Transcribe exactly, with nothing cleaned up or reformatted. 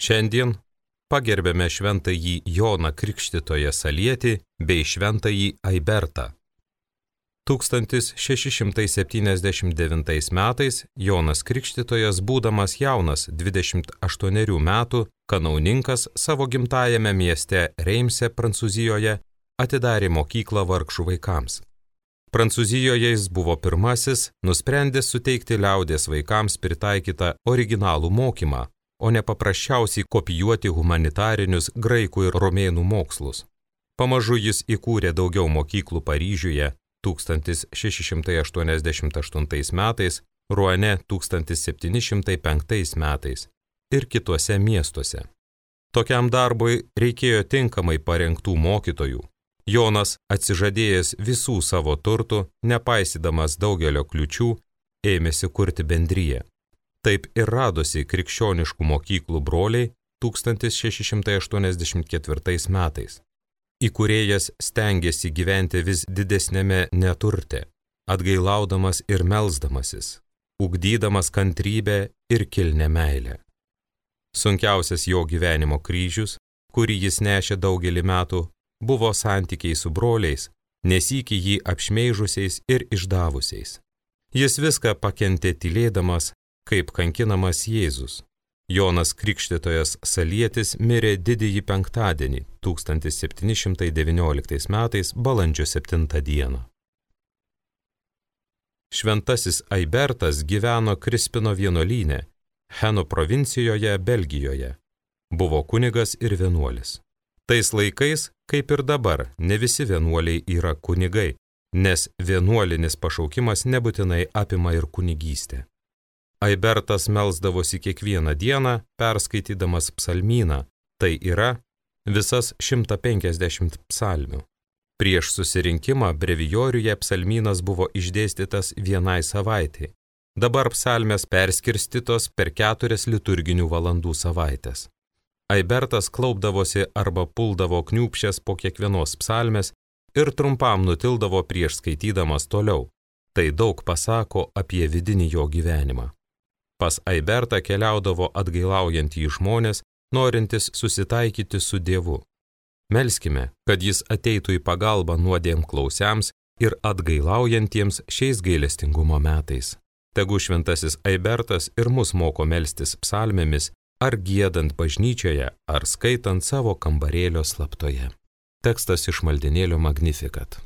Šiandien pagerbėme šventąjį Joną Krikštytoją Salietį bei šventąjį Aibertą. tūkstantis šeši šimtai septyniasdešimt devintais metais Jonas Krikštytojas, būdamas jaunas dvidešimt aštuonerių metų, kanauninkas savo gimtajame mieste Reimse, Prancūzijoje, atidarė mokyklą vargšų vaikams. Prancūzijoje jis buvo pirmasis, nusprendęs suteikti liaudės vaikams pritaikytą originalų mokymą, o ne paprasčiausiai kopijuoti humanitarinius graikų ir romėnų mokslus. Pamažu jis įkūrė daugiau mokyklų Paryžiuje tūkstantis šeši šimtai aštuoniasdešimt aštuntais metais, Ruane tūkstantis septyni šimtai penktais metais ir kituose miestuose. Tokiam darbui reikėjo tinkamai parengtų mokytojų. Jonas, atsižadėjęs visų savo turtų, nepaisydamas daugelio kliučių, ėmėsi kurti bendriją. Taip ir radosi krikščioniškų mokyklų broliai tūkstantis šeši šimtai aštuoniasdešimt ketvirtais metais. Įkūrėjas stengėsi gyventi vis didesnėme neturte, atgailaudamas ir melsdamasis, ugdydamas kantrybę ir kilnią meilę. Sunkiausias jo gyvenimo kryžius, kurį jis nešė daugelį metų, buvo santykiai su broliais, nesykį jį apšmeižusiais ir išdavusiais. Jis viską pakentė tylėdamas, kaip kankinamas Jėzus. Jonas Krikštytojas Salietis mirė didįjį penktadienį tūkstantis septyni šimtai devynioliktais metais balandžio septintą dieną. Šventasis Aibertas gyveno Krispino vienuolyne, Heno provincijoje, Belgijoje. Buvo kunigas ir vienuolis. Tais laikais, kaip ir dabar, ne visi vienuoliai yra kunigai, nes vienuolinis pašaukimas nebūtinai apima ir kunigystę. Aibertas melsdavosi kiekvieną dieną, perskaitydamas psalmyną, tai yra visas šimtą penkiasdešimt psalmių. Prieš susirinkimą brevijoriuje psalmynas buvo išdėstytas vienai savaitei. Dabar psalmės perskirstytos per keturias liturginių valandų savaitės. Aibertas klaupdavosi arba puldavo kniūpščias po kiekvienos psalmės ir trumpam nutildavo prieš skaitydamas toliau. Tai daug pasako apie vidinį jo gyvenimą. Pas Aibertą keliaudavo atgailaujantys žmonės, norintys susitaikyti su Dievu. Melskime, kad jis ateitų į pagalbą nuodėmklausiams ir atgailaujantiems šiais gailestingumo metais. Tegu šventasis Aibertas ir mus moko melstis psalmėmis, ar giedant bažnyčioje, ar skaitant savo kambarėlio slaptoje. Tekstas iš maldinėlio Magnificat.